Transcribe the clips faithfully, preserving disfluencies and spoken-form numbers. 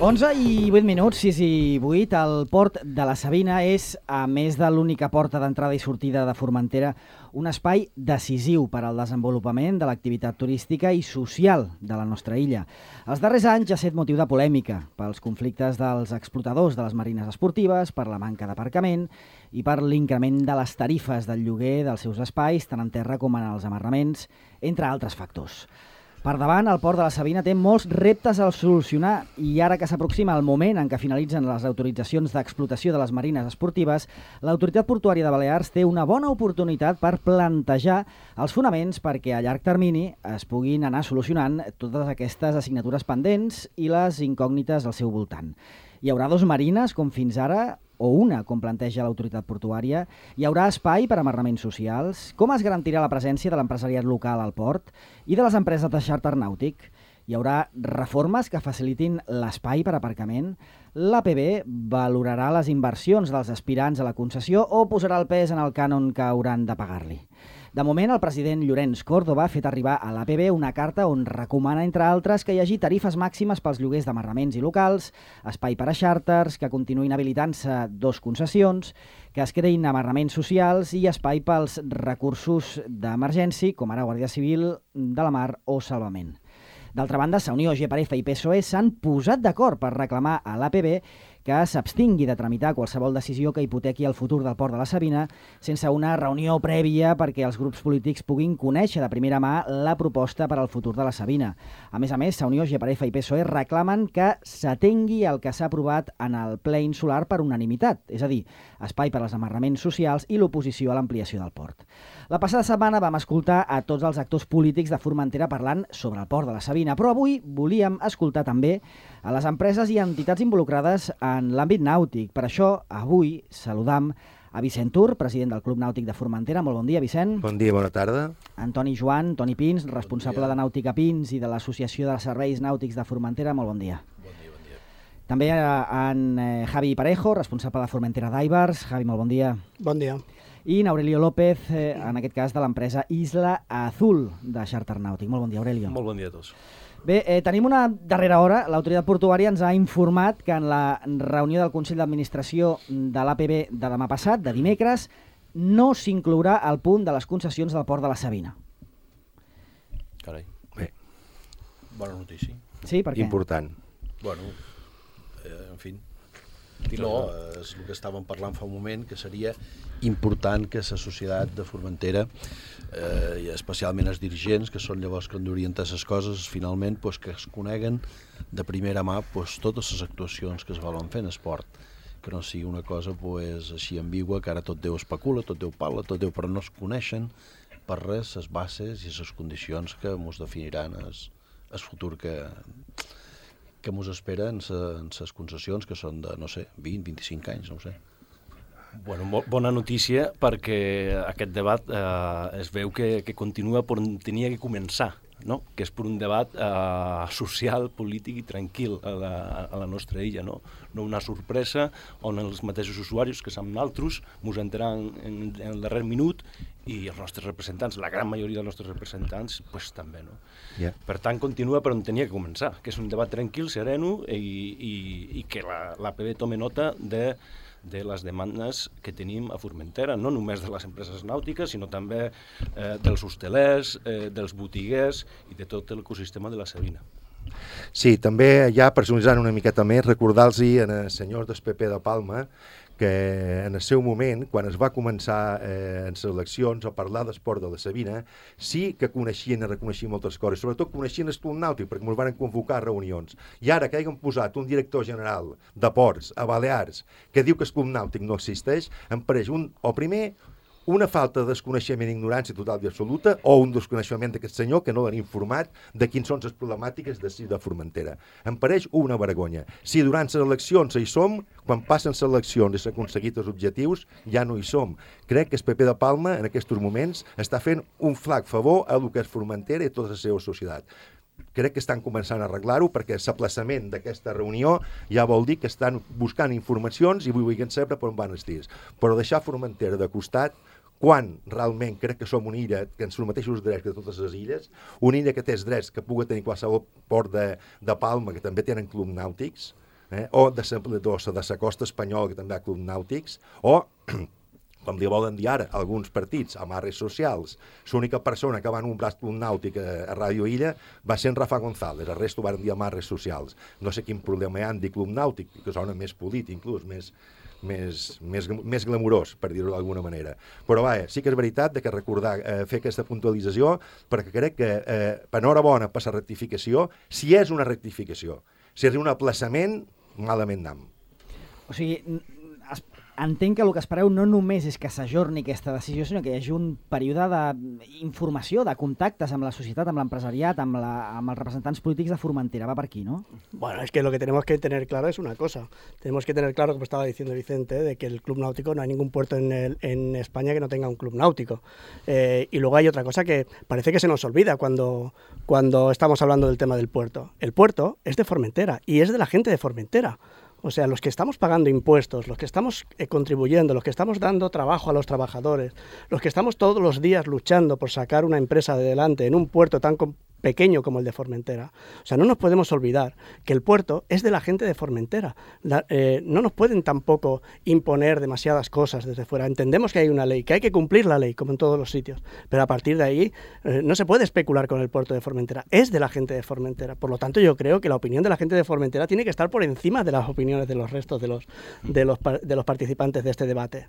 onze i vuit minuts, sis i vuit. El port de la Sabina és, a més de l'única porta d'entrada i sortida de Formentera, un espai decisiu per al desenvolupament de l'activitat turística i social de la nostra illa. Els darrers anys ha estat motiu de polèmica pels conflictes dels explotadors de les marines esportives, per la manca d'aparcament i per l'increment de les tarifes del lloguer dels seus espais, tant en terra com en els amarraments, entre altres factors. Per davant, el port de la Sabina té molts reptes a solucionar i ara que s'aproxima el moment en què finalitzen les autoritzacions d'explotació de les marines esportives, l'Autoritat Portuària de Balears té una bona oportunitat per plantejar els fonaments perquè a llarg termini es puguin anar solucionant totes aquestes assignatures pendents i les incògnites al seu voltant. Hi haurà dos marines, com fins ara, o una, com planteja l'autoritat portuària? Hi haurà espai per a amarraments socials? Com es garantirà la presència de l'empresariat local al port i de les empreses de xàrter nàutic? Hi haurà reformes que facilitin l'espai per aparcament? L'A P B valorarà les inversions dels aspirants a la concessió o posarà el pes en el cànon que hauran de pagar-li? De moment, el president Llorenç Córdoba ha fet arribar a l'A P B una carta on recomana, entre altres, que hi hagi tarifes màximes pels lloguers d'amarraments i locals, espai per a xàrters, que continuïn habilitant-se dos concessions, que es creïn amarraments socials i espai pels recursos d'emergència, com ara Guàrdia Civil de la Mar o Salvament. D'altra banda, Sa Unió, G P F i P S O E s'han posat d'acord per reclamar a l'A P B que s'abstingui de tramitar qualsevol decisió que hipotequi el futur del port de la Sabina sense una reunió prèvia perquè els grups polítics puguin conèixer de primera mà la proposta per al futur de la Sabina. A més a més, Sa Unió, G P F i P S O E reclamen que s'atengui el que s'ha aprovat en el ple insular per unanimitat, és a dir, espai per als amarraments socials i l'oposició a l'ampliació del port. La passada setmana vam escoltar a tots els actors polítics de Formentera parlant sobre el port de la Sabina, però avui volíem escoltar també a les empreses i entitats involucrades en l'àmbit nàutic. Per això, avui saludam a Vicent Tur, president del Club Nàutic de Formentera. Molt bon dia, Vicent. Bon dia, bona tarda. Antoni Joan, Toni Pins, responsable bon de Nàutica Pins i de l'Associació de Serveis Nàutics de Formentera. Molt bon dia. Bon dia, bon dia. També en Javi Parejo, responsable de Formentera Divers. Javi, molt bon dia. Bon dia. I Aurelio López, eh, en aquest cas de l'empresa Isla Azul de xàrter nàutic. Molt bon dia, Aurelio. Molt bon dia a tots. Bé, eh, tenim una darrera hora. L'autoritat portuària ens ha informat que en la reunió del Consell d'Administració de l'A P B de demà passat, de dimecres, no s'inclourà el punt de les concessions del port de la Sabina. Carai. Bé. Bona notícia. Sí, per què? Important. Bueno, eh, en fi, no, és el que estàvem parlant fa un moment, que seria important que la societat de Formentera, eh, i especialment els dirigents, que són llavors que han d'orientar les coses, finalment pues, que es coneguen de primera mà pues, totes les actuacions que es volen fer en esport, que no sigui una cosa pues, així ambigua, que ara tot Déu especula, tot Déu parla, tot Déu, però no es coneixen per res les bases i les condicions que ens definiran el futur que que ens espera en les concessions, que són de, no sé, vint, vint-i-cinc anys, no ho sé. Bueno, bona notícia, perquè aquest debat eh, es veu que, que continua per on tenia que començar, no? Que és per un debat eh, social, polític i tranquil a la, a la nostra illa, no? No una sorpresa on els mateixos usuaris, que som naltros, ens enteraran en, en el darrer minut, i els nostres representants, la gran majoria dels nostres representants, pues, també, no? Yeah. Per tant, continua per on tenia que començar, que és un debat tranquil, sereno, i, i, i que la, l'A P B tome nota de, de les demandes que tenim a Formentera, no només de les empreses nàutiques, sinó també eh, dels hostelers, eh, dels botiguers i de tot l'ecosistema de la Sabina. Sí, també ja personalitzant una miqueta més, recordar-los als senyors del P P de Palma que en el seu moment, quan es va començar eh, en les eleccions a parlar d'esport de la Sabina, sí que coneixien i reconeixien moltes coses, sobretot coneixien el Club Nàutic, perquè ens van convocar a reunions. I ara que hagin posat un director general de ports a Balears que diu que el Club Nàutic no existeix, em pareix un, o primer, una falta de desconeixement i ignorància total i absoluta, o un desconeixement d'aquest senyor que no l'han informat de quins són les problemàtiques de, de Formentera. Em pareix una vergonya. Si durant les eleccions hi som, quan passen les eleccions i s'han aconseguit els objectius, ja no hi som. Crec que el P P de Palma, en aquests moments, està fent un flac favor a el que és Formentera i tota la seva societat. Crec que estan començant a arreglar-ho perquè l'aplaçament d'aquesta reunió ja vol dir que estan buscant informacions i vulguin saber per on van els tirs. Però deixar Formentera de costat, quan realment crec que som una illa que ens els mateixos drets que totes les illes, una illa que té els drets que pugui tenir qualsevol port de, de Palma, que també tenen clubs nàutics, eh? o de la costa espanyola, que també hi ha clubs nàutics, o, com li volen dir ara, alguns partits, amarres socials. L'única persona que va nombrar club nàutic a, a Ràdio Illa va ser en Rafa González, el resto van dir amarres socials. No sé quin problema hi ha en dir club nàutic, que sona més polític, inclús, més, més, més, més glamurós, per dir-ho d'alguna manera. Però vaja, sí que és veritat de que recordar, eh, fer aquesta puntualització, perquè crec que eh, enhorabona per la rectificació, si és una rectificació. Si és un aplaçament, malament anam. O sigui, es, entenc que el que espereu no només és que s'ajorni aquesta decisió, sinó que hi hagi un període d'informació, de contactes amb la societat, amb l'empresariat, amb, la, amb els representants polítics de Formentera. Va per aquí, ¿no? Bueno, es que lo que tenemos que tener claro es una cosa. Tenemos que tener claro, como estaba diciendo Vicente, de que el club náutico, no hay ningún puerto en, el, en España que no tenga un club náutico. Eh, y luego hay otra cosa que parece que se nos olvida cuando, cuando estamos hablando del tema del puerto. El puerto es de Formentera y es de la gente de Formentera. O sea, los que estamos pagando impuestos, los que estamos eh, contribuyendo, los que estamos dando trabajo a los trabajadores, los que estamos todos los días luchando por sacar una empresa adelante en un puerto tan pequeño como el de Formentera. O sea, no nos podemos olvidar que el puerto es de la gente de Formentera. La, eh, no nos pueden tampoco imponer demasiadas cosas desde fuera. Entendemos que hay una ley, que hay que cumplir la ley, como en todos los sitios, pero a partir de ahí eh, no se puede especular con el puerto de Formentera. Es de la gente de Formentera. Por lo tanto, yo creo que la opinión de la gente de Formentera tiene que estar por encima de las opiniones de los restos de los, de los, de los participantes de este debate.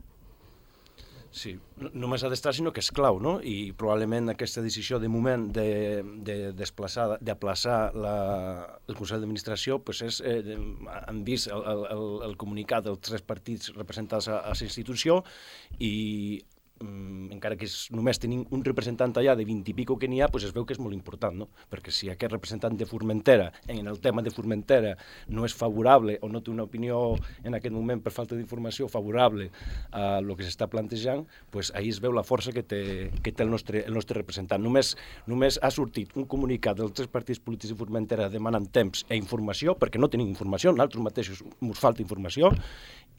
Sí, no només ha d'estar, sinó que és clau, no? I probablement aquesta decisió de moment de, de desplaçar, d'aplaçar el Consell d'Administració, pues és, eh, han vist el, el, el comunicat dels tres partits representats a, a la institució i encara que és, només tenim un representant allà de vint i pico que n'hi ha, pues es veu que és molt important, no? Perquè si aquest representant de Formentera, en el tema de Formentera, no és favorable o no té una opinió en aquest moment per falta d'informació favorable a el que s'està plantejant, pues ahí es veu la força que té, que té el, nostre, el nostre representant. Només, només ha sortit un comunicat dels tres partits polítics de Formentera demanant temps i informació, perquè no tenim informació, nosaltres mateixos ens falta informació,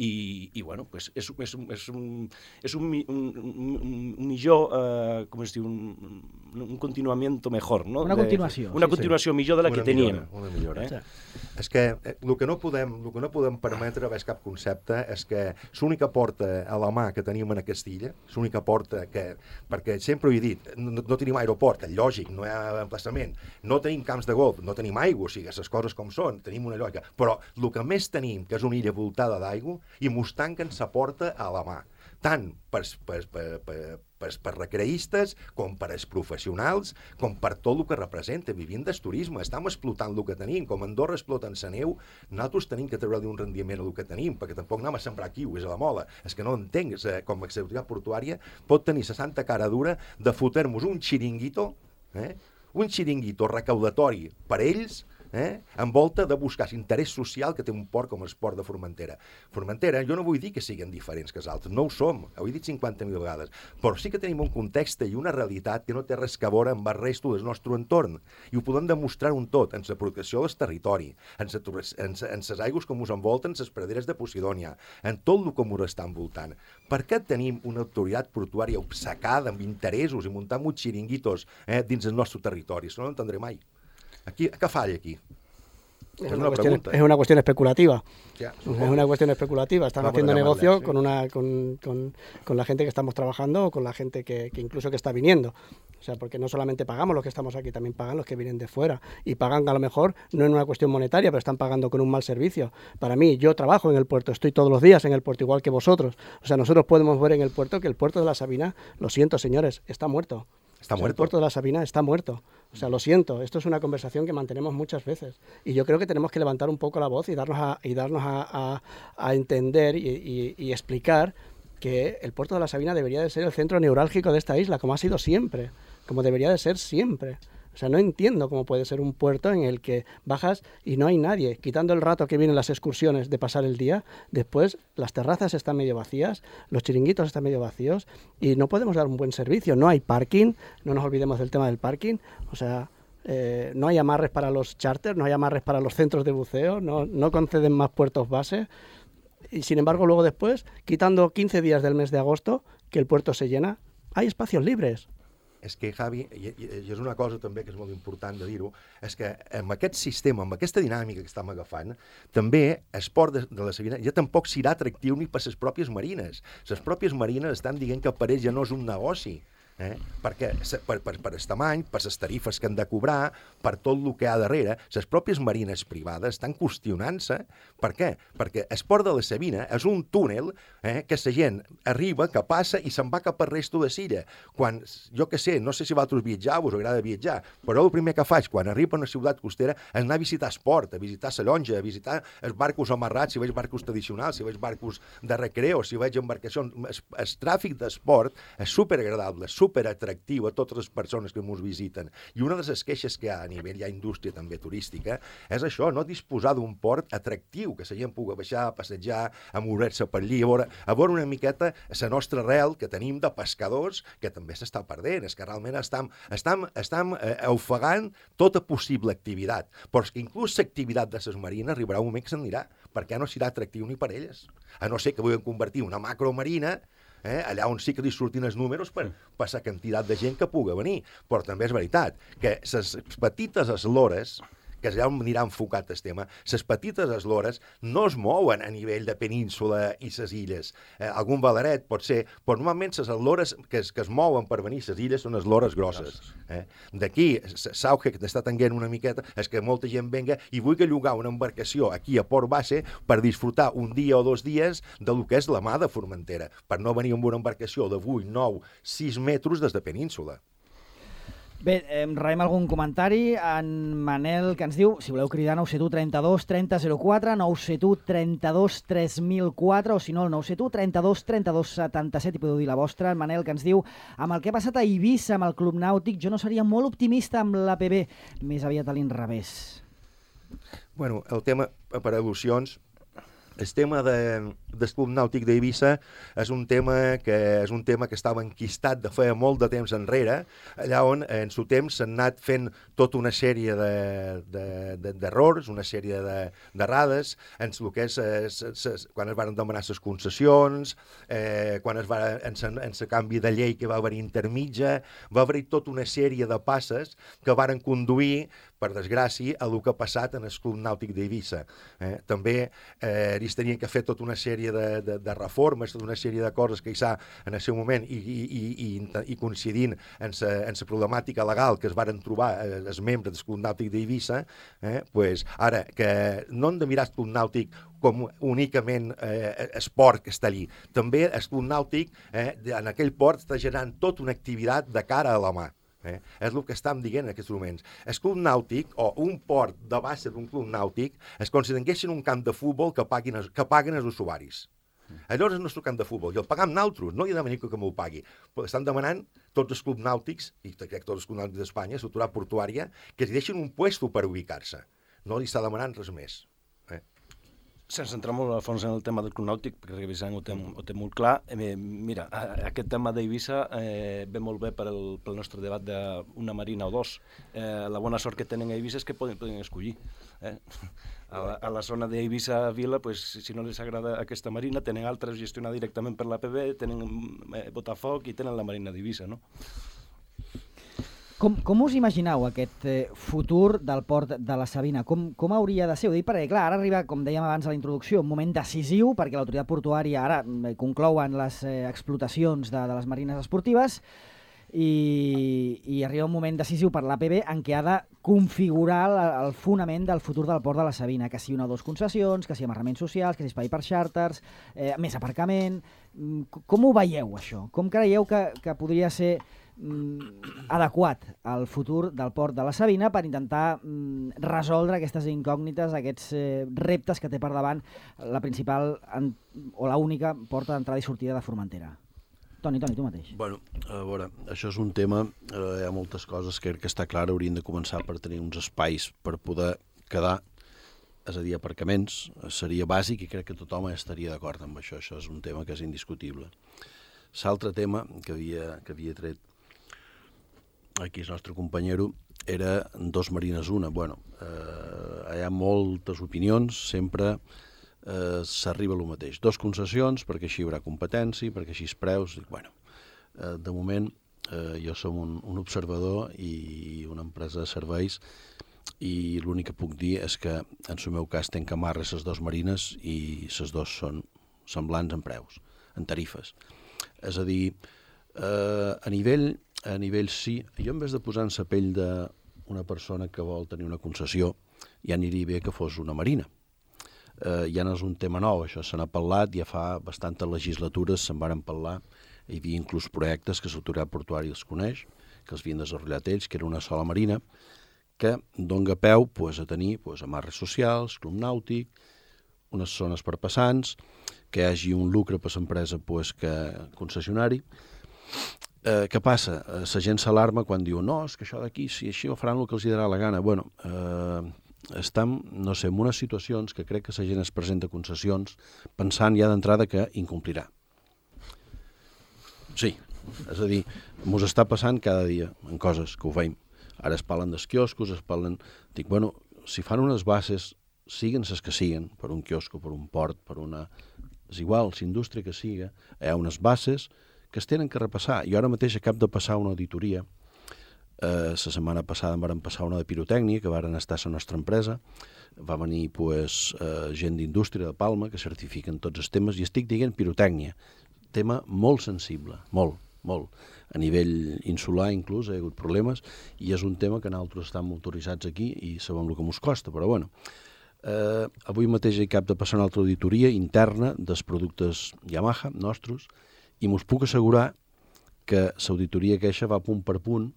i, i bueno, pues és, és, és, un, és un, un, un, un millor, eh, com es diu, un, un continuament mejor, no? Una continuació. De, una continuació sí, millor de la una que teníem. Millora, una millora. Eh? Sí. És que eh, el que no podem, el que no podem permetre, és cap concepte, és que l'única porta a la mà que tenim en aquesta illa, l'única porta que, perquè sempre ho he dit, no, no tenim aeroport, lògic, no hi ha emplaçament, no tenim camps de golf, no tenim aigua, o sigui, les coses com són, tenim una lloca, però el que més tenim, que és una illa voltada d'aigua, i mos tanquen sa porta a la mà, tant per, per, per, per, per, per recreistes com per als professionals, com per tot el que representa. Vivim del turisme, estem explotant el que tenim, com Andorra exploten la neu, nosaltres tenim que treure-li un rendiment al que tenim, perquè tampoc anem a sembrar kiwis a la mola. És que no entenc, com a activitat portuària pot tenir la santa cara dura de fotre-nos un xiringuito, eh? un xiringuito recaudatori per ells, Eh? envolta de buscar l'interès social que té un port com el port de Formentera. Formentera, jo no vull dir que siguin diferents que els altres, no ho som, ho he dit cinquanta mil vegades, però sí que tenim un context i una realitat que no té res a veure amb el resto del nostre entorn, i ho podem demostrar un tot, en la protecció del territori, en les aigües que ens envolten, les praderes de Posidònia, en tot el que ens està envoltant. Per què tenim una autoritat portuària obcecada amb interessos i muntant uns xiringuitos eh, dins el nostre territori? Això no ho entendré mai. Aquí, ¿qué falla aquí? Es una, una, cuestión, es una cuestión especulativa. Ya, es una cuestión especulativa. Están Vamos haciendo negocio sí. con, una, con, con, con la gente que estamos trabajando o con la gente que, que incluso que está viniendo. O sea, porque no solamente pagamos los que estamos aquí, también pagan los que vienen de fuera. Y pagan a lo mejor, no en una cuestión monetaria, pero están pagando con un mal servicio. Para mí, yo trabajo en el puerto, estoy todos los días en el puerto, igual que vosotros. O sea, nosotros podemos ver en el puerto que el puerto de la Sabina, lo siento señores, está muerto. Está o sea, muerto. El puerto de la Sabina está muerto. O sea, lo siento, esto es una conversación que mantenemos muchas veces. Y yo creo que tenemos que levantar un poco la voz y darnos a, y darnos a, a, a entender y, y, y explicar que el puerto de la Sabina debería de ser el centro neurálgico de esta isla, como ha sido siempre, como debería de ser siempre. O sea, no entiendo cómo puede ser un puerto en el que bajas y no hay nadie. Quitando el rato que vienen las excursiones de pasar el día, después las terrazas están medio vacías, los chiringuitos están medio vacíos y no podemos dar un buen servicio. No hay parking, no nos olvidemos del tema del parking. O sea, eh, no hay amarres para los charters, no hay amarres para los centros de buceo, no, no conceden más puertos base. Y sin embargo, luego después, quitando quince días del mes de agosto, que el puerto se llena, hay espacios libres. és que, Javi, i, i, i és una cosa també que és molt important de dir-ho, és que amb aquest sistema, amb aquesta dinàmica que estem agafant, també esport de, de la Sabina ja tampoc serà atractiu ni per les pròpies marines. Les pròpies marines estan dient que per ells ja no és un negoci. Eh? Perquè per, per, per el tamany, per les tarifes que han de cobrar, per tot el que hi ha darrere, les pròpies marines privades estan qüestionant-se. Per què? Perquè el port de la Sabina és un túnel eh, que la gent arriba, que passa i se'n va cap al resto de l'illa. Quan, jo que sé, no sé si vosaltres viatjau, us agrada viatjar, però el primer que faig quan arribo a una ciutat costera és anar a visitar el port, a visitar la llonja, a visitar els barcos amarrats, si veig barcos tradicionals, si veig barcos de recreo, si veig embarcacions. El, el tràfic d'esport és superagradable, superatractiu a totes les persones que ens visiten. I una de les queixes que hi ha a nivell, hi ha indústria també turística, és això, no disposar d'un port atractiu, que la gent pugui baixar, a passejar, a moure-se per allí, a veure, a veure una miqueta la nostra arrel que tenim de pescadors, que també s'està perdent, és que realment estem, estem, estem eh, ofegant tota possible activitat. Però és que inclús l'activitat de les marines arribarà un moment que se'n anirà, perquè no serà atractiu ni per elles. A no ser que vulguin convertir una macromarina Eh, allà on sí que li surtin els números per, per la quantitat de gent que pugui venir. Però també és veritat que les petites eslores, que és allà on anirà enfocat el tema, les petites eslores no es mouen a nivell de península i les illes. Eh, algun valeret pot ser, però normalment les eslores que es, que es mouen per venir a les illes són eslores grosses. Eh? D'aquí, l'auge que t'està tenint una miqueta és que molta gent venga i vulgui llogar una embarcació aquí a Port Base per disfrutar un dia o dos dies del que és la mar de Formentera, per no venir amb una embarcació de vuit, nou, sis metres des de península. Bé, eh, rebem algun comentari. En Manel, que ens diu, si voleu cridar, nou set u trenta-dos trenta zero quatre, nou set u trenta-dos tres mil quatre, o si no, el nou set u trenta-dos trenta-dos setanta-set, i podeu dir la vostra. En Manel, que ens diu, amb el que ha passat a Eivissa, amb el Club Nàutic, jo no seria molt optimista amb l'A P B, més aviat a l'inrevés. Bueno, el tema, per al·lusions, el tema de, del Club Nàutic d'Eivissa és un tema que és un tema que estava enquistat de feia molt de temps enrere, allà on en su temps s'han anat fent tota una sèrie d'errors, de, de, una sèrie d'errades, en el que és es, es, quan es van demanar les concessions, eh, quan es va, en el canvi de llei que va haver intermitja, va haver tota una sèrie de passes que varen conduir, per desgràcia, a el que ha passat en el Club Nàutic d'Eivissa. Eh, també eh, ells tenien que fer tota una sèrie de, de, de reformes, tota una sèrie de coses que hi ha en el seu moment i, i, i, i coincidint en la problemàtica legal que es varen trobar eh, els membres del Club Nàutic d'Eivissa, eh, pues, ara, que no hem de mirar el Club Nàutic com únicament eh, esport que està allí. També el Club Nàutic eh, en aquell port està generant tota una activitat de cara a la mà. Eh? És el que estem dient en aquests moments. El club nàutic, o un port de base d'un club nàutic, es considereixen un camp de futbol que paguen, que paguen els usuaris. Allò és el nostre camp de futbol, i el pagam nosaltres, no hi ha de venir que m'ho pagui. Però estan demanant tots els clubs nàutics, i crec que tots els clubs nàutics d'Espanya, l'autoritat portuària, que li deixin un puesto per ubicar-se. No li està demanant res més. Eh? Sense entrar molt a fons en el tema del Club Nàutic, perquè Vicent ho té, ho té molt clar, eh, mira, aquest tema d'Eivissa eh, ve molt bé per el, pel nostre debat d'una marina o dos. Eh, la bona sort que tenen a Eivissa és que poden, poden escollir. Eh? A, la, a la zona d'Eivissa Vila, pues, si no les agrada aquesta marina, tenen altres gestionar directament per l'A P B, tenen eh, Botafoc i tenen la marina d'Eivissa, no? Com, com us imagineu aquest eh, futur del port de la Sabina? Com, com hauria de ser? Ho dic perquè, clar, ara arriba, com dèiem abans a la introducció, un moment decisiu perquè l'autoritat portuària ara eh, conclouen les eh, explotacions de, de les marines esportives i, i arriba un moment decisiu per l'A P B en què ha de configurar la, el fonament del futur del port de la Sabina, que sigui una o dues concessions, que sigui amarraments socials, que sigui espai per xàrters, eh, més aparcament... Com ho veieu, això? Com creieu que, que podria ser adequat al futur del port de la Sabina per intentar mm, resoldre aquestes incògnites, aquests eh, reptes que té per davant la principal en, o la única porta d'entrada i sortida de Formentera? Toni, Toni, tu mateix. Bueno, a veure, això és un tema, eh, hi ha moltes coses que, que està clar, haurien de començar per tenir uns espais per poder quedar, és a dir, aparcaments, seria bàsic i crec que tothom estaria d'acord amb això, això és un tema que és indiscutible. L'altre tema que havia, que havia tret aquí el nostre companyero era dos marines una. Bueno, eh, hi ha moltes opinions, sempre eh, s'arriba a lo mateix. Dos concessions, perquè així hi haurà competència, perquè així els preus... Bueno, eh, de moment eh, jo som un, un observador i una empresa de serveis, i l'únic que puc dir és que en el meu cas tenc amarres les dues marines i les dues són semblants en preus, en tarifes. És a dir, eh, a nivell a nivell sí, jo en vez de posar en la pell d'una persona que vol tenir una concessió, ja aniria bé que fos una marina. Eh, ja no és un tema nou, això se n'ha parlat, ja fa bastantes legislatures se'n varen parlar, hi havia inclús projectes que l'autoritat portuària els coneix, que els havien desenvolupat ells, que era una sola marina, que dona peu pues, a tenir pues, amarres socials, club nàutic, unes zones per passants, que hi hagi un lucre per l'empresa pues, que concessionari. Eh, què passa? Eh, la gent s'alarma quan diu no, és que això d'aquí, si així ho faran el que els dirà la gana. Bueno, eh, estem, no sé, en unes situacions que crec que la gent es presenta concessions pensant ja d'entrada que incomplirà. Sí, és a dir, mos està passant cada dia en coses que ho veiem. Ara es parlen dels quioscos, es parlen... Dic, bueno, si fan unes bases, siguen les que siguen, per un quiosco, per un port, per una... És igual, la indústria que siga, hi ha unes bases que es tenen que repassar. Jo ara mateix acabo de passar una auditoria. Eh, la setmana passada em van passar una de pirotècnia, que varen estar a la nostra empresa. Va venir pues, eh, gent d'indústria de Palma, que certifiquen tots els temes, i estic dient pirotècnia. Tema molt sensible, molt, molt. A nivell insular inclús hi ha hagut problemes i és un tema que nosaltres estem autoritzats aquí i sabem el que ens costa, però bueno. Eh, avui mateix he cap de passar una altra auditoria interna dels productes Yamaha nostres i m'us puc assegurar que l'auditoria queixa va punt per punt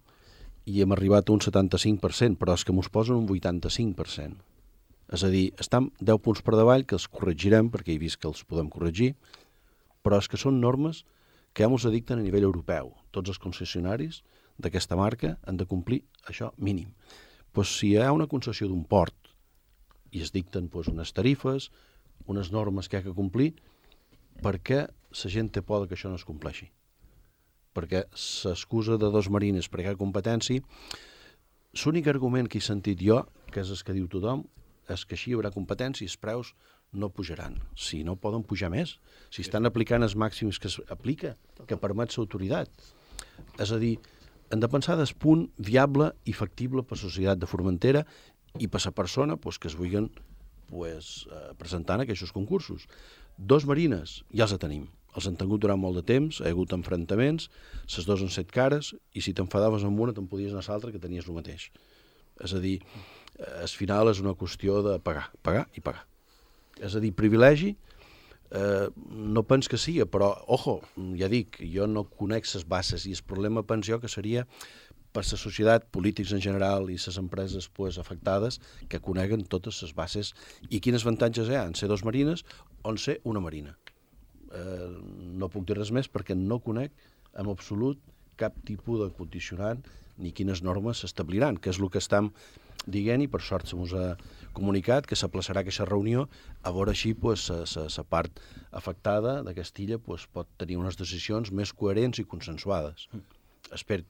i hem arribat a un setanta-cinc per cent, però és que mos posen un vuitanta-cinc per cent. És a dir, estem deu punts per davall, que els corregirem, perquè he vist que els podem corregir, però és que són normes que ja ens dicten a nivell europeu. Tots els concessionaris d'aquesta marca han de complir això mínim. Pues, si hi ha una concessió d'un port i es dicten pues, unes tarifes, unes normes que hi ha que complir, per què la gent té por que això no es compleixi? Perquè s'excusa de dos marines perquè hi ha competència. L'únic argument que he sentit jo, que és el que diu tothom, és que així hi haurà competència i els preus no pujaran. Si no poden pujar més, si estan aplicant els màxims que s'aplica, que permet l'autoritat. És a dir, hem de pensar del punt viable i factible per la societat de Formentera i per la persona pues, que es vulguin pues, eh, presentar en aquests concursos. Dos marines ja els tenim. Els han tingut durant molt de temps, hi ha hagut enfrontaments, les dues han set cares, i si t'enfadaves amb una te'n podies anar a l'altra que tenies el mateix. És a dir, al final és una qüestió de pagar, pagar i pagar. És a dir, privilegi, eh, no pens que sigui, però, ojo, ja dic, jo no conec les bases i el problema penso jo que seria per la societat, polítics en general i les empreses pues, afectades que coneguen totes les bases i quins avantatges hi ha en ser dos marines o en ser una marina. Eh, no puc dir res més perquè no conec en absolut cap tipus de condicionant ni quines normes s'establiran, que és el que estem dient i per sort se mos ha comunicat que s'aplaçarà aquesta reunió a veure així pues, la part afectada de Castilla pues, pot tenir unes decisions més coherents i consensuades. Espero.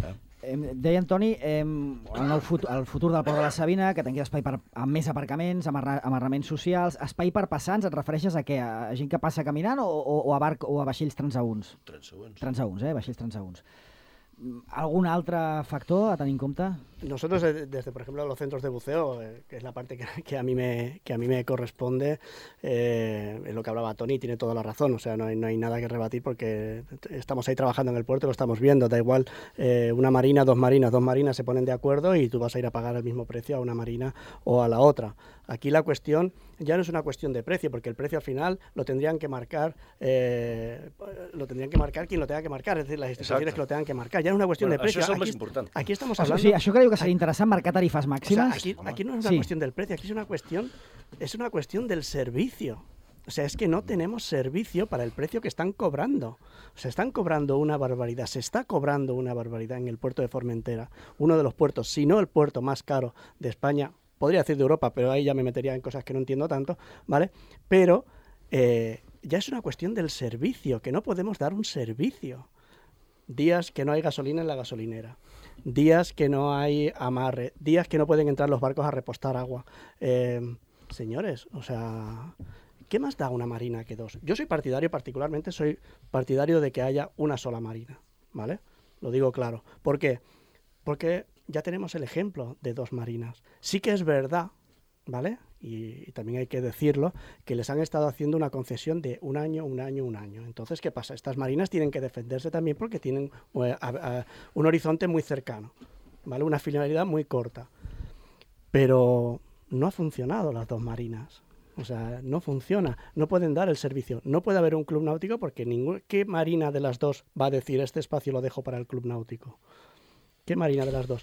Eh? Deia Antoni, eh, el, nou futur, el futur del Port de la Sabina, que tingui espai per, amb més aparcaments, amarra, amarraments socials, espai per passants, et refereixes a què? A gent que passa caminant o, o, o, a, barc, o a vaixells transaünts? Transaünts. Transaünts, eh? Vaixells transaünts. ¿Algún otro factor a tener en cuenta? Nosotros, desde, por ejemplo, los centros de buceo, eh, que es la parte que, que, a mí me, que a mí me corresponde, eh, es lo que hablaba Tony, tiene toda la razón. O sea, no hay, no hay nada que rebatir porque estamos ahí trabajando en el puerto, lo estamos viendo. Da igual, eh, una marina, dos marinas, dos marinas se ponen de acuerdo y tú vas a ir a pagar el mismo precio a una marina o a la otra. Aquí la cuestión ya no es una cuestión de precio, porque el precio al final lo tendrían que marcar, eh, lo tendrían que marcar quien lo tenga que marcar, es decir, las instituciones Exacto. que lo tengan que marcar. Ya no es una cuestión bueno, de precio. Això és el aquí, més important. Aquí estamos hablando... O sigui, això creu que seria interessant marcar tarifes màximes? O sea, aquí, aquí no es una sí. cuestión del precio, aquí es una cuestión, es una cuestión del servicio. O sea, es que no tenemos servicio para el precio que están cobrando. Se están cobrando una barbaridad, se está cobrando una barbaridad en el puerto de Formentera, uno de los puertos, si no el puerto más caro de España, podría decir de Europa, pero ahí ya me metería en cosas que no entiendo tanto, ¿vale? Pero eh, ya es una cuestión del servicio, que no podemos dar un servicio. Días que no hay gasolina en la gasolinera, días que no hay amarre, días que no pueden entrar los barcos a repostar agua. Eh, señores, o sea, ¿qué más da una marina que dos? Yo soy partidario, particularmente soy partidario de que haya una sola marina, ¿vale? lo digo claro. ¿Por qué? Porque ya tenemos el ejemplo de dos marinas. Sí que es verdad, ¿vale? Y, y también hay que decirlo, que les han estado haciendo una concesión de un año, un año, un año. Entonces, ¿qué pasa? Estas marinas tienen que defenderse también porque tienen uh, a, a, un horizonte muy cercano, ¿vale? Una finalidad muy corta. Pero no ha funcionado las dos marinas. O sea, no funciona, no pueden dar el servicio. No puede haber un club náutico porque ningún, ¿qué marina de las dos va a decir este espacio lo dejo para el club náutico? ¿Qué marina de las dos?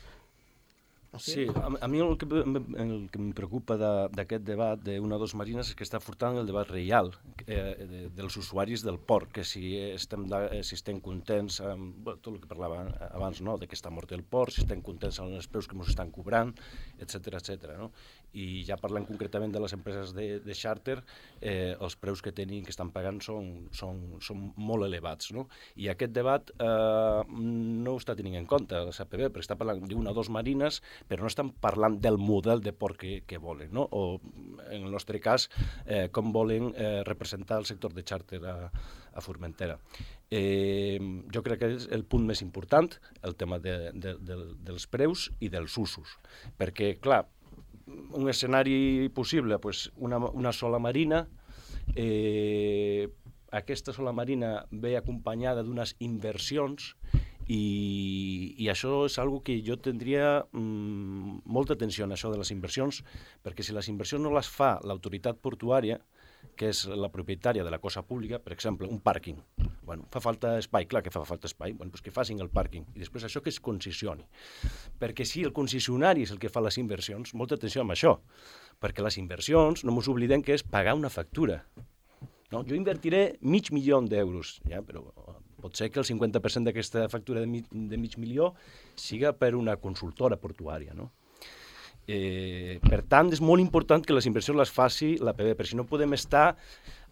Sí, a, a mi el que, el que em preocupa d'aquest debat d'una o dos marines és que està furtant el debat real eh, de, dels usuaris del port, que si estem, de, si estem contents amb bueno, tot el que parlava abans, no? De que està mort el port, si estem contents amb els preus que ens estan cobrant, etcètera, etcètera, no? I ja parlant concretament de les empreses de, de xàrter, eh, els preus que tenen, que estan pagant són, són, són molt elevats, no? I aquest debat eh, no ho està tenint en compte la C P B, perquè està parlant d'una o dos marines, però no estan parlant del model de port que, que volen, no? O, en el nostre cas, eh, com volen eh, representar el sector de xàrter a, a Formentera. Eh, jo crec que és el punt més important, el tema de, de, de, dels preus i dels usos, perquè, clar, un escenari possible, pues, una, una sola marina, eh, aquesta sola marina ve acompanyada d'unes inversions i, i això és algo que jo tindria mm, molta atenció en això de les inversions, perquè si les inversions no les fa l'autoritat portuària, que és la propietària de la cosa pública, per exemple, un pàrquing. Bueno, fa falta espai, clar que fa falta espai, bueno, doncs que facin el pàrquing i després això que es concessioni. Perquè si el concessionari és el que fa les inversions, molta atenció amb això, perquè les inversions, no ens oblidem que és pagar una factura. No? Jo invertiré mig milió d'euros, ja, però pot ser que el cinquanta per cent d'aquesta factura de mig, de mig milió siga per una consultora portuària, no? Eh, per tant, és molt important que les inversions les faci la P B, perquè si no podem estar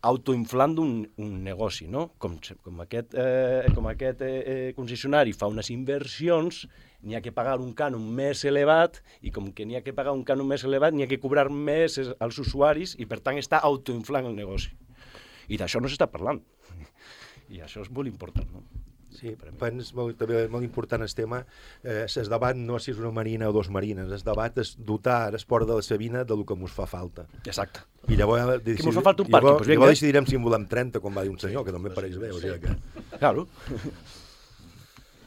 autoinflant un, un negoci, no? Com, com aquest, eh, com aquest eh, concessionari fa unes inversions, n'hi ha que pagar un cànon més elevat, i com que n'hi ha que pagar un cànon més elevat, n'hi ha que cobrar més als usuaris, i per tant està autoinflant el negoci. I d'això no s'està parlant. I això és molt important, no? Sí, pens, molt, també molt important el tema, eh, el debat no és si és una marina o dos marines, el debat és dotar l'esport de la Sabina del que ens fa falta. Exacte. I llavors, que ens fa falta un pàrquing, llavors, pues llavors decidirem si en volem trenta, com va dir un senyor, que també pareix bé. O sigui que... Claro.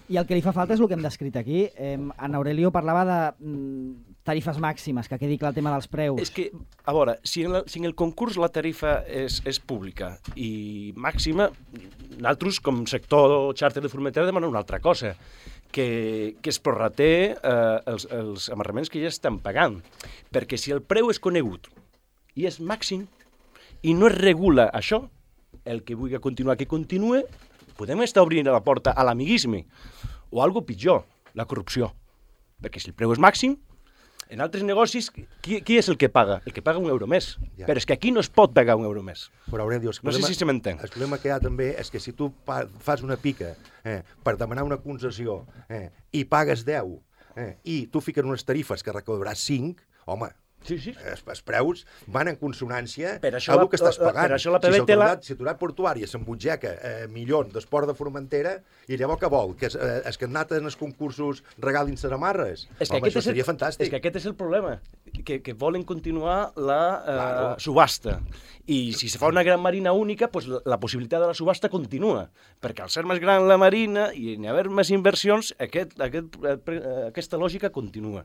I el que li fa falta és el que hem descrit aquí. Eh, en Aurelio parlava de mm, tarifes màximes, que quedi clar el tema dels preus. És que, a veure, si en, la, si en el concurs la tarifa és, és pública i màxima, nosaltres, com sector xàrter de Formentera, demanem una altra cosa, que, que es prorraté eh, els, els amarraments que ja estan pagant. Perquè si el preu és conegut i és màxim i no es regula això, el que vulgui continuar que continue, podem estar obrint la porta a l'amiguisme o algo pitjor, la corrupció. Perquè si el preu és màxim, en altres negocis, qui, qui és el que paga? El que paga un euro més. Ja. Però és que aquí no es pot pagar un euro més. Però, Aurelio, no problema, sé si se m'entén. El problema que hi ha també és que si tu fas una pica eh, per demanar una concessió eh, i pagues deu eh, i tu fiques unes tarifes que recaudaràs cinc, home, sí, sí. Els, els preus van en consonància per això amb el la, que estàs pagant. Per això la P B té la... Si l'autoritat portuària s'embutgeca eh, milions d'esport de Formentera, i llavors què vol? Que es, eh, es que han anat en els concursos regalin samarres? És que home, això seria el, fantàstic. És que aquest és el problema, que, que volen continuar la eh, claro. subhasta. I si se fa una gran marina única, pues la, la possibilitat de la subhasta continua. Perquè al ser més gran la marina i n'hi haver més inversions, aquest, aquest, eh, aquesta lògica continua.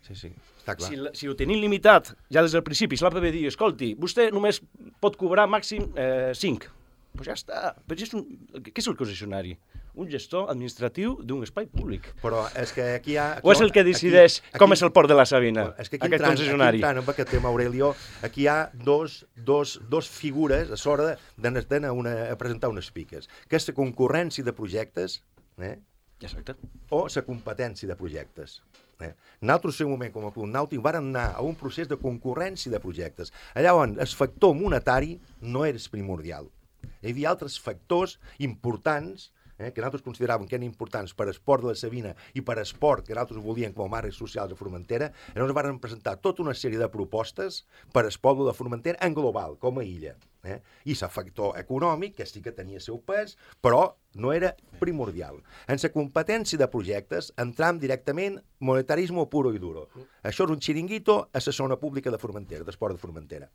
Sí, sí, està clar. Si, si ho tenim limitat ja des del principi, si la P B diu, escolti, vostè només pot cobrar màxim eh, cinc, doncs pues ja està. Però és un, què és el concessionari? Un gestor administratiu d'un espai públic. Però és que aquí hi ha... O és el que decideix aquí, aquí, com és el port de la Sabina, és que aquí aquest entrant, concessionari? Aquí entrant amb aquest tema, Aurelio, aquí hi ha dos, dos, dos figures a l'hora d'anar a presentar unes piques, que és la concurrència de projectes, eh? Exacte. O la competència de projectes. Eh? Nosaltres, en un moment com a Club Nàutic, vàrem anar a un procés de concurrència de projectes, allà on el factor monetari no era primordial. Hi havia altres factors importants eh, que nosaltres consideràvem que eren importants per esport de la Sabina i per esport que nosaltres volíem com a marques socials a Formentera, i llavors vàrem presentar tota una sèrie de propostes per esport de Formentera en global, com a illa. Eh? I el factor econòmic, que sí que tenia seu pes, però no era primordial. En la competència de projectes entram directament monetarisme puro i duro. Això és un xiringuito a la zona pública de Formentera, d'esport de Formentera.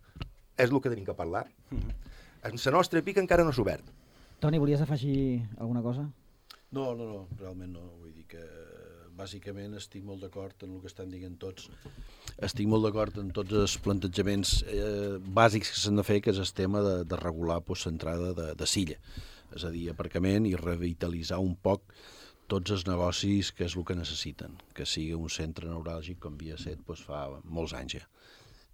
És el que tenim que parlar. En la nostra pica encara no s'ha obert. Toni, volies afegir alguna cosa? No, no, no, realment no. Vull dir que bàsicament estic molt d'acord en el que estan dient tots. Estic molt d'acord en tots els plantejaments eh, bàsics que s'han de fer, que és el tema de, de regular pues, l'entrada de, de Silla. És a dir, aparcament i revitalitzar un poc tots els negocis que és el que necessiten, que sigui un centre neuràlgic com havia set pues, fa molts anys ja.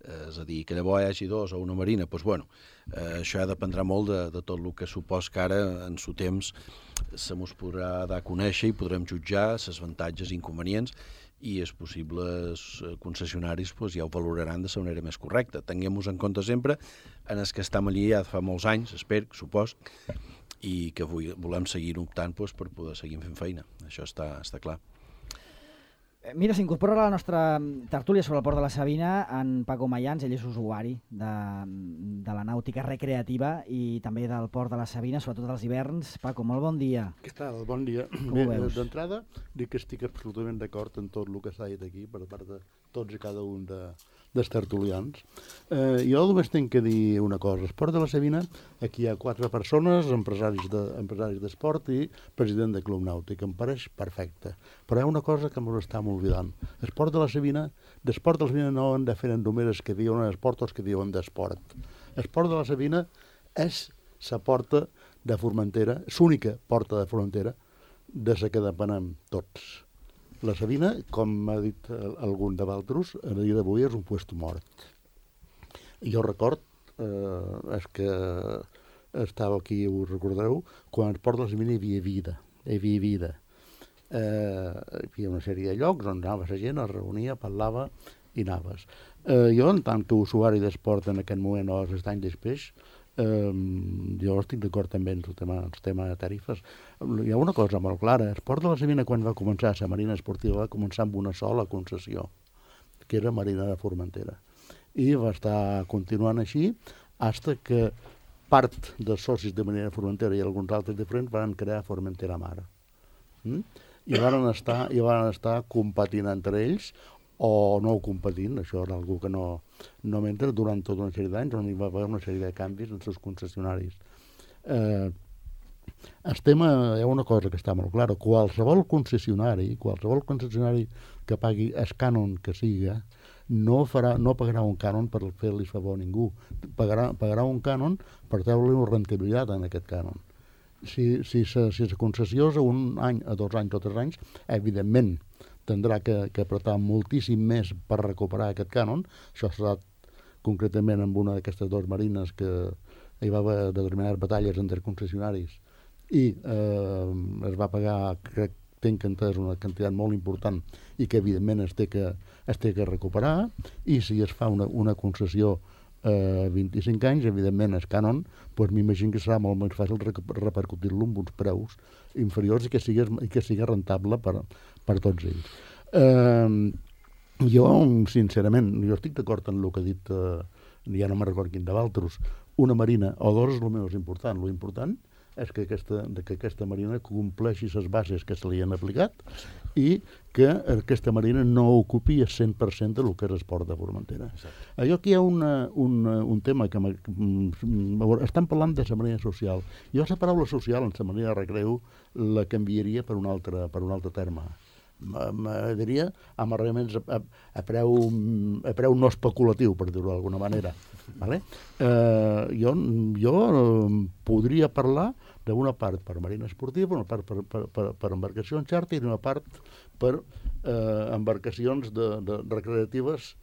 Eh, és a dir, que llavors hi hagi dos o una marina, doncs, bueno, eh, això ja dependrà molt de, de tot el que supos que ara, en su temps, se mos podrà dar a conèixer i podrem jutjar els avantatges i inconvenients i els possibles concessionaris pues, ja ho valoraran de la manera més correcta. Tinguem-nos en compte sempre en els que estem allí ja fa molts anys, espero, supos, i que volem seguir optant pues, per poder seguir fent feina. Això està, està clar. Mira, s'incorpora a la nostra tertúlia sobre el port de la Sabina en Paco Mayans, ell és usuari de, de la nàutica recreativa i també del port de la Sabina, sobretot als hiverns. Paco, molt bon dia. Què tal? Bon dia. Bé, d'entrada, dic que estic absolutament d'acord en tot el que s'ha dit aquí per part de tots i cada un de, dels tertulians. Eh, jo només tinc que dir una cosa. Esport de la Sabina, aquí hi ha quatre persones, empresaris de, empresaris d'esport i president de Club Nàutic. Em pareix perfecte. Però hi ha una cosa que m'ho està oblidant. Esport de la Sabina, d'esport de la Sabina no han de fer només els que diuen esport o els que diuen d'esport. Esport de la Sabina és la porta de Formentera, l'única porta de Formentera de la que depenem tots. La Sabina, com ha dit algun de Valtros, a dia d'avui és un puesto mort. Jo record, eh, és que estava aquí, ho recordareu, quan al port de la Sabina hi havia vida, hi havia vida. Eh, hi havia una sèrie de llocs on anava la gent, es reunia, parlava i anaves. Eh, jo, en tant que usuari d'esport en aquest moment o els anys després, eh, jo estic d'acord també en el tema, el tema de tarifes. Hi ha una cosa molt clara, l'esport de la Sabina quan va començar, la Marina Esportiva va començar amb una sola concessió, que era Marina de Formentera. I va estar continuant així fins que part dels socis de Marina de Formentera i alguns altres diferents van crear Formentera Mar. Mm? I van estar, i van estar competint entre ells o no competint, això era algú que no, no m'entra, durant tota una sèrie d'anys on hi va haver una sèrie de canvis en els concessionaris. Eh, el tema, hi ha una cosa que està molt clara, qualsevol concessionari, qualsevol concessionari que pagui el cànon que siga, no, farà, no pagarà un cànon per fer-li favor a ningú, pagarà, pagarà un cànon per treure-li una rentabilitat en aquest cànon. Si, si, si, si la concessió és un any, a dos anys o tres anys, evidentment tindrà que, que apretar moltíssim més per recuperar aquest cànon. Això serà concretament amb una d'aquestes dues marines que hi va haver determinades batalles entre concessionaris i eh, es va pagar, crec, tenc entès, una quantitat molt important i que evidentment es té que, es té que recuperar, i si es fa una, una concessió Uh, vint-i-cinc anys, evidentment el cànon, doncs m'imagino que serà molt més fàcil repercutir-lo amb uns preus inferiors i que sigui, i que sigui rentable per, per tots ells. Uh, jo, sincerament, jo estic d'acord en el que ha dit, uh, ja no me'n recordo quin de Valtros, una marina o dos és el més important. Lo important és que aquesta, que aquesta marina compleixi les bases que se li han aplicat i que aquesta marina no ocupi el cent per cent del que és esport de Formentera. Allò aquí hi ha una, una, un tema que estan parlant de la marina social. Jo la paraula social en la marina de recreu la canviaria per un altre, per un altre terme. Diria amb arrellaments a, a, preu, a preu no especulatiu, per dir-ho d'alguna manera. Vale? Eh, jo, jo podria parlar d'una part per marina esportiva, una part per, per, per, per embarcacions xàrter i una part per eh, embarcacions de, de recreatives,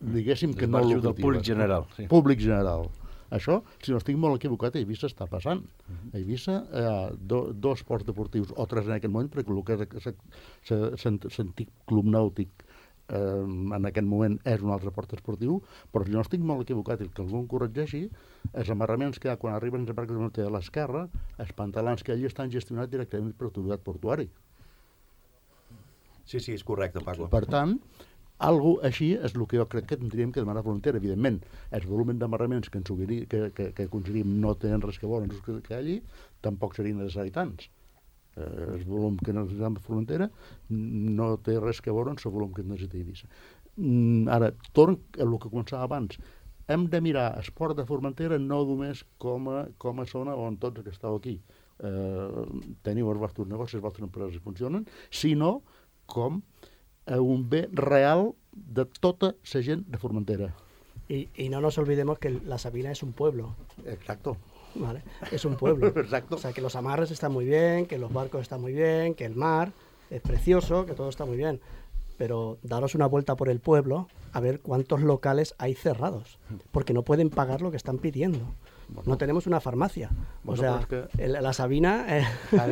diguéssim que no lucratives. Del públic general. Sí. Públic general. Això, si no estic molt equivocat, a Eivissa està passant. A Eivissa hi ha do, dos ports deportius, o tres en aquest moment, perquè el que és l'antic club nàutic eh, en aquest moment és un altre port esportiu, però si no estic molt equivocat i que algú em corregeixi, els amarraments que hi ha quan arriben els barcos de l'esquerra, els pantalans que allí estan gestionats directament per l'autoritat portuari. Sí, sí, és correcte, Paco. Per tant, Algo així és el que jo crec que tindríem que demanar a Formentera. Evidentment, els volums d'amarraments que, ens que, que, que aconseguim no tenen res que veure amb els que, que allí, tampoc serien necessaris tants. Eh, el volum que necessitem a Formentera no té res que veure amb el volum que necessita Eivissa. Mm, ara, torn a el que començava abans. Hem de mirar esport de Formentera no només com a, com a zona on tots que esteu aquí eh, teniu els vostres negocis, les vostres empreses funcionen, sinó com un bé real de tota la gent de Formentera. Y, y no nos olvidemos que la Sabina es un pueblo. Exacto. ¿Vale? Es un pueblo. Exacto. O sea, que los amarres están muy bien, que los barcos están muy bien, que el mar es precioso, que todo está muy bien. Pero daros una vuelta por el pueblo a ver cuántos locales hay cerrados, porque no pueden pagar lo que están pidiendo. Bueno, no tenemos una farmacia. Bueno, o sea, pues que... el, la Sabina eh,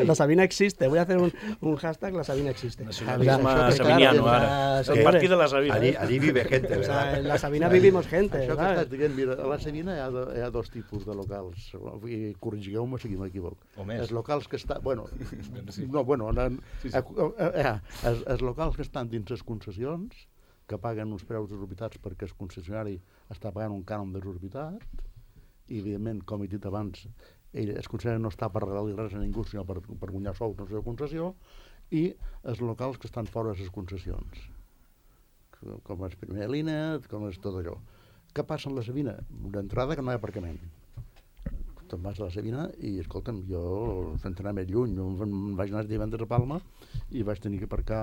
la Sabina existe. Voy a hacer un, un hashtag, la Sabina existe. Nacionalisme o sea, sabiniano, claro, ara. Es, el partit de la Sabina. Allí, allí vive gente, o ¿verdad? sea, en la Sabina vivimos gente. Això que ¿sabes? estàs dient, mira, a la Sabina hi ha, do, hi ha dos tipus de locals, i corregigueu-me si m'equivoco. Els locals que estan... Bueno, no, bueno, en, sí, sí. Eh, eh, els, els locals que estan dins les concessions, que paguen uns preus desorbitats perquè el concessionari està pagant un cànon desorbitat, i evidentment, com he dit abans, ell, el concessionari no està per regalar res a ningú, sinó per, per guanyar sous en la seva concessió, i els locals que estan fora de les concessions, com és primera línia, com és tot allò. Què passa amb la Sabina? D'entrada que no hi ha aparcament. Te'n vas a la Sabina i, escolta'm, jo, sense anar més lluny, jo em vaig anar divendres a Palma i vaig tenir que aparcar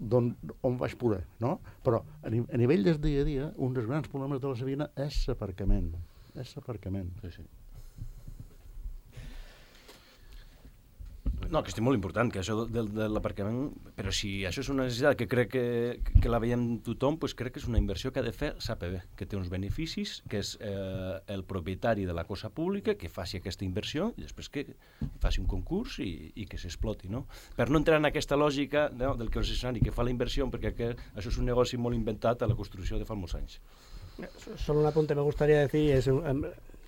d'on, on vaig poder, no? Però a, ni, a nivell del dia a dia, un dels grans problemes de la Sabina és l'aparcament. És l'aparcament. Sí, sí. No, que és molt important, que això de, de l'aparcament, però si això és una necessitat que crec que, que la veiem tothom, doncs crec que és una inversió que ha de fer l'A P B, que té uns beneficis, que és eh, el propietari de la cosa pública, que faci aquesta inversió i després que faci un concurs i, i que s'exploti, no? Per no entrar en aquesta lògica, no, del concessionari que fa la inversió, perquè que, això és un negoci molt inventat a la construcció de fa molts anys. Solo un apunte me gustaría decir es eh,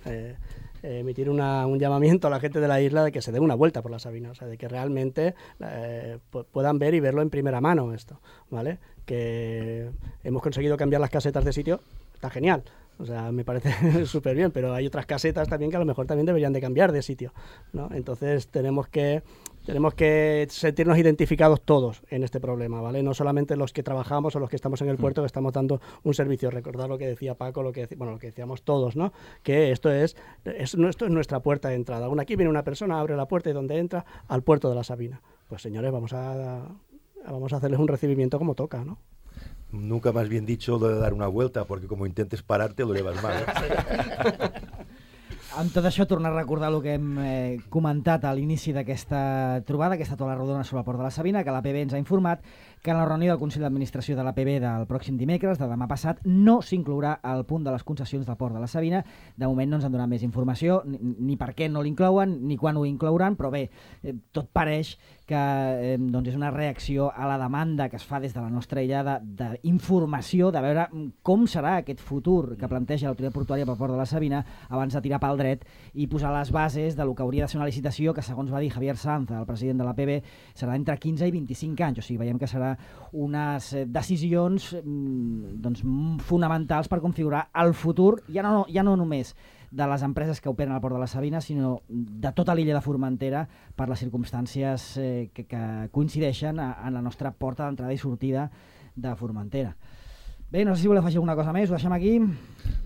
eh, emitir una, un llamamiento a la gente de la isla de que se dé una vuelta por la Sabina, o sea, de que realmente eh, puedan ver y verlo en primera mano esto, ¿vale? Que hemos conseguido cambiar las casetas de sitio, está genial. O sea, me parece súper bien, pero hay otras casetas también que a lo mejor también deberían de cambiar de sitio, ¿no? Entonces tenemos que tenemos que sentirnos identificados todos en este problema, ¿vale? No solamente los que trabajamos o los que estamos en el puerto, que estamos dando un servicio. Recordar lo que decía Paco, lo que bueno, lo que decíamos todos, ¿no? Que esto es, es esto es nuestra puerta de entrada. Una, aquí viene una persona, abre la puerta y donde entra al puerto de la Sabina. Pues señores, vamos a vamos a hacerles un recibimiento como toca, ¿no? Nunca más bien dicho lo de dar una vuelta, porque como intentes pararte lo llevas mal. ¿eh? Amb tot això, tornar a recordar el que hem eh, comentat a l'inici d'aquesta trobada, aquesta taula rodona sobre el port de la Sabina, que l'A P B ens ha informat que en la reunió del Consell d'Administració de l'A P B del pròxim dimecres, de demà passat, no s'inclourà el punt de les concessions del port de la Sabina. De moment no ens han donat més informació, ni, ni per què no l'inclouen, ni quan ho inclouran, però bé, eh, tot pareix que eh, doncs és una reacció a la demanda que es fa des de la nostra illa d'informació, de, de veure com serà aquest futur que planteja l'autoritat portuària pel port de la Sabina abans de tirar pel dret i posar les bases de lo que hauria de ser una licitació que, segons va dir Javier Sanz, el president de l'A P B, serà entre quinze i vint-i-cinc anys. O sigui, veiem que serà unes decisions doncs, fonamentals per configurar el futur, ja no, ja no només de les empreses que operen al port de la Sabina, sinó de tota l'illa de Formentera per les circumstàncies eh, que, que coincideixen a, a la nostra porta d'entrada i sortida de Formentera. Bé, no sé si voleu afegir alguna cosa més, ho deixem aquí.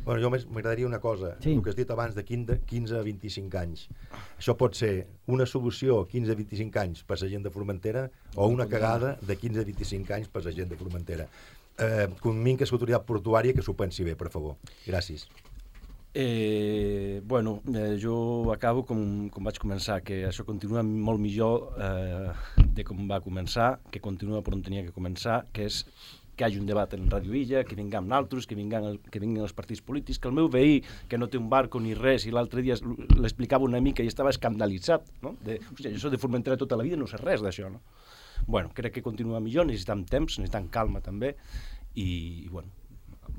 Bueno, jo m'agradaria una cosa, sí. El que has dit abans de quinze a vint-i-cinc anys. Això pot ser una solució quinze a vint-i-cinc anys per la gent de Formentera o una cagada de quinze a vint-i-cinc anys per la gent de Formentera. Eh, convinc a l'autoritat portuària que s'ho pensi bé, per favor. Gràcies. Eh, bueno, eh, jo acabo com, com vaig començar, que això continua molt millor eh, de com va començar, que continua per on tenia que començar, que és que hi hagi un debat en Radio Illa, que vinguem naltros, que vinguin, que vinguin els partits polítics, que el meu veí, que no té un barco ni res, i l'altre dia l'explicava una mica i estava escandalitzat, no? De, hòstia, jo soc de Formentera tota la vida i no sé res d'això, no? Bueno, crec que continua millor, necessitem temps, necessitem calma també, i, i bueno,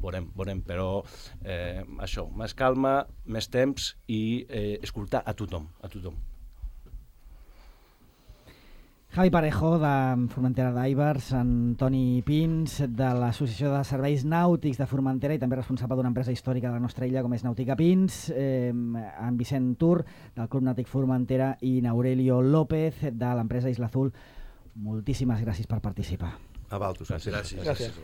veurem, veurem, però eh, això, més calma, més temps i eh, escoltar a tothom, a tothom. Javi Parejo, de Formentera Divers, Antoni Pins, de l'Associació de Serveis Nàutics de Formentera i també responsable d'una empresa històrica de la nostra illa com és Nàutica Pins, eh, en Vicent Tur, del Club Nàutic Formentera, i Aurelio López, de l'empresa Isla Azul. Moltíssimes gràcies per participar. A Valtus. Gràcies. Gràcies.